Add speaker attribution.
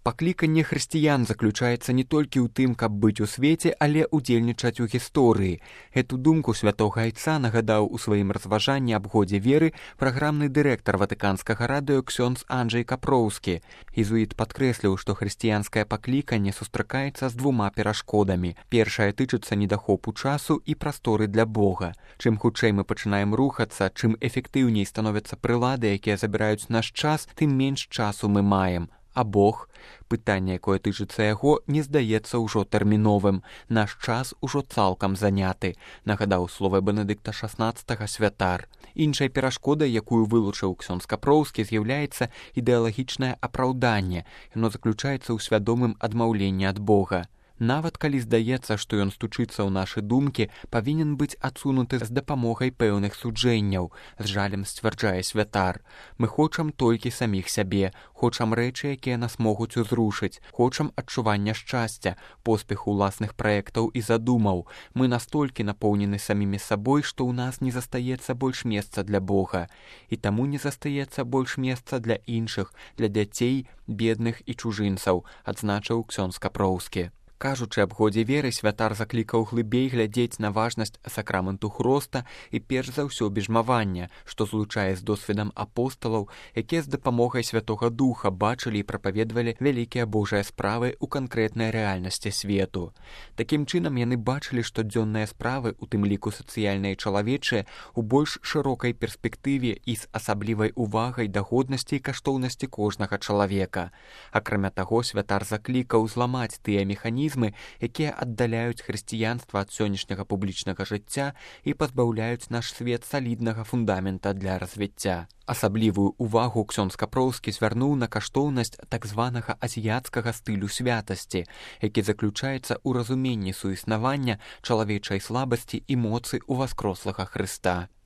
Speaker 1: Пакліканне хрысціян заключаецца не толькі ў тым, каб быць у свеце, але ўдзельнічаць у гісторыі. Гэту думку святога айца нагадаў у сваім разважанні аб годзе веры праграмны дырэктар ватыканскага радыё ксёндз Анджэй Капроўскі. Езуіт падкрэсліў, што хрысціянскае пакліканне сустракаецца з двума перашкодамі. Першая тычыцца недахопу часу і прасторы для Бога. Чым хутчэй мы пачынаем рухацца, чым эфектыўней становяцца прылады, якія забіраюць наш час, тым менш часу мы маем. А Бог? Пытанне, якое тычыцца яго, не здаецца ўжо тэрміновым. Наш час ужо цалкам заняты, нагадаў словы Бенедыкта XVI святар. Іншай перашкодай, якую вылучыў ксёндз Капроўскі, з'яўляецца ідэалагічнае апраўданне. Яно заключаецца ў свядомым адмаўленні ад Бога. Нават калі здаецца, што ён стучыцца ў нашы думкі, павінен быць адсунуты з дапамогай пэўных суджэнняў, з жалем сцвярджае святар. Мы хочам толькі саміх сябе, хочам рэчы, якія нас могуць узрушыць, хочам адчування шчасця, поспеху ўласных праектаў і задумаў. Мы настолькі напоўнены самімі сабой, што ў нас не застаецца больш месца для Бога. І таму не застаецца больш месца для іншых, для дзяцей, бедных і чужынцаў, адзначыў ксёндз Капроўскі. Кажучы аб годзе веры, святар заклікаў глыбей глядзець на важнасць сакраменту хроста і перш за ўсё бежмавання, што злучае з досведам апосталаў, якія з дапамогай Святога Духа бачылі і прапаведвалі вялікія Божыя справы ў канкрэтнай рэальнасці свету. Такім чынам яны бачылі штодзённыя справы, у тым ліку сацыяльныя і чалавечыя, у больш шырокай перспектыве і з асаблівай увагай да годнасці і каштоўнасці кожнага чалавека. Акрамя таго, святар заклікаў зламаць тыя механізмы, якія аддаляюць хрысціянства ад сённяшняга публічнага жыцця і пазбаўляюць наш свет саліднага фундамента для развіцця. Асаблівую увагу ксёндз Капроўскі звярнуў на каштоўнасць так званага азіяцкага стылю святасці, які заключаецца ў разуменні суіснавання чалавечай слабасці і моцы ўваскрослага Хрыста.